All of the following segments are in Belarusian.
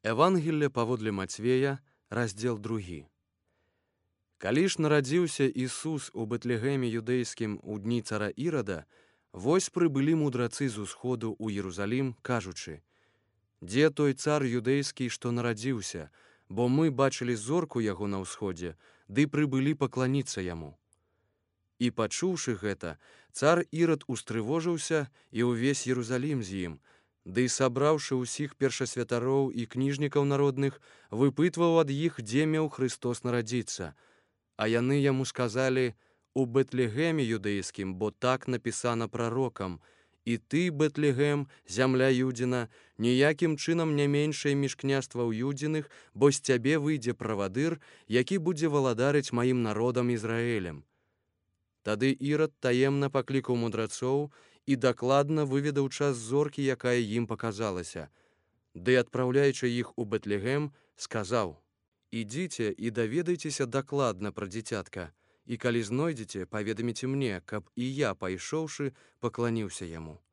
Евангелле паводле Мацвея, раздзел 2. Калі ж нарадзіўся Ісус у Бэтлегеме юдэйскім у дні цара Ірада, вось прыбылі мудрацы з усходу ў Єрусалім, кажучы: «Дзе той цар юдэйскі, што нарадзіўся? Бо мы бачылі зорку яго на ўсходзе, ды прыбылі пакланіцца яму». І пачуўшы гэта, цар Ірад устрывожыўся і ўвесь Єрусалім з ім, ды сабраўшы ўсіх першасвятароў і кніжнікаў народных, выпытваў ад іх, дзе меў Христос нарадзіцца. А яны яму сказалі: «У Бэтлегеме юдэйскім, бо так напісана прарокам: і ты, Бэтлегем, зямля Юдзіна, ніякім чынам не меншае між княстваў Юдзіных, бо з цябе выйдзе правадыр, які будзе валадарыць маім народам Ізраэлем». Тады Ірад таемна паклікаў мудрацоў і дакладна выведаў час зоркі, якая ім паказалася. Ды, адпраўляючы іх у Бэтлегем, сказаў: «Ідзіце і даведайцеся дакладна пра дзіцятка, і калі знойдзеце, паведаміце мне, каб і я, пайшоўшы, пакланіўся яму».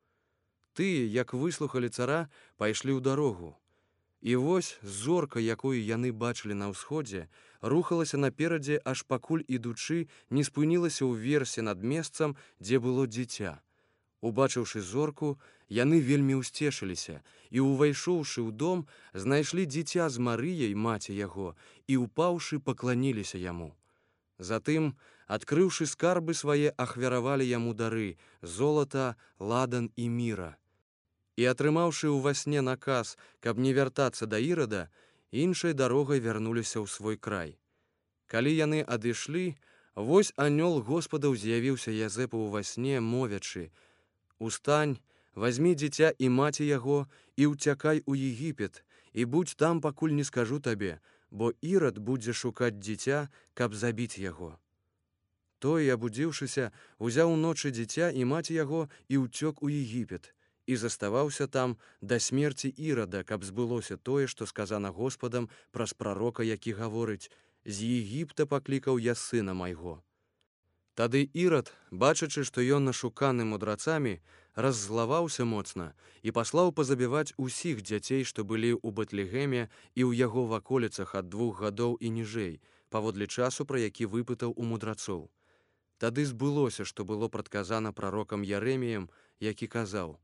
Тыя, як выслухалі цара, пайшлі ў дарогу. І вось зорка, якую яны бачылі на ўсходзе, рухалася наперадзе, аж пакуль, ідучы, не спынілася ўверсе над месцам, дзе было дзіця. Убачыўшы зорку, яны вельмі ўсцешыліся і, увайшоўшы ў дом, знайшлі дзіця з Марыяй, маці яго, і, упаўшы, пакланіліся яму. Затым, адкрыўшы скарбы свае, ахвяравалі яму дары: золата, ладан і міра. І, атрымаўшы ўва сне наказ, каб не вяртацца да Ірада, іншай дарогай вярнуліся ў свой край. Калі яны адышлі, вось анёл Господаў з'явіўся Язэпу ўва сне, мовячы: «Устань, вазьмі дзіця і маці яго, і ўцякай у Егіпет, і будзь там, пакуль не скажу табе, бо Ірад будзе шукаць дзіця, каб забіць яго». Той, абудзіўшыся, узяў уночы дзіця і маці яго і ўцёк у Егіпет, і заставаўся там да смерці Ірада, каб збылося тое, што сказана Господам праз прарока, які гаворыць: «З Егіпта паклікаў я сына майго». Тады Ірад, бачачы, што ён нашуканы мудрацамі, раззлаваўся моцна і паслаў пазабіваць усіх дзяцей, што былі ў Бэтлегеме і ў яго ваколіцах ад 2 гадоў і ніжэй, паводле часу, пра які выпытаў у мудрацоў. Тады збылося, што было прадказана прарокам Ярэміям, які казаў: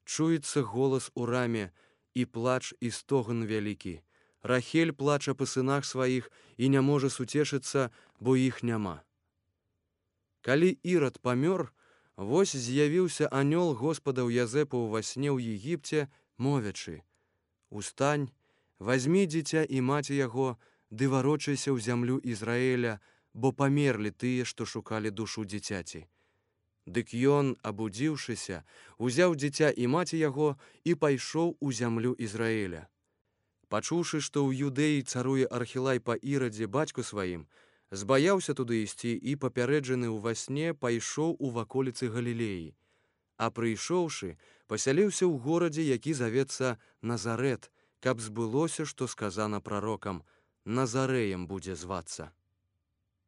«Чуецца голас у раме, і плач, і стогн вялікі. Рахель плача па сынах сваіх і не можа суцешыцца, бо іх няма». Калі Ірад памёр, вось з'явіўся анёл Господаў Язэпу ўва сне ў Егіпце, мовячы: «Устань, вазьмі дзіця і маці яго, ды варочайся ў зямлю Ізраэля, бо памерлі тыя, што шукалі душу дзіцяці». Дык ён, абудзіўшыся, узяў дзіця і маці яго і пайшоў у зямлю Ізраэля. Пачуўшы, што ў Юдэі царуе Архілай па Ірадзе, бацьку сваім, збаяўся туды ісці і, папярэджаны ўва сне, пайшоў у ваколіцы Галілеі. А прыйшоўшы, пасяліўся ў горадзе, які завецца Назарэт, каб збылося, што сказана прарокам: «Назарэем будзе звацца».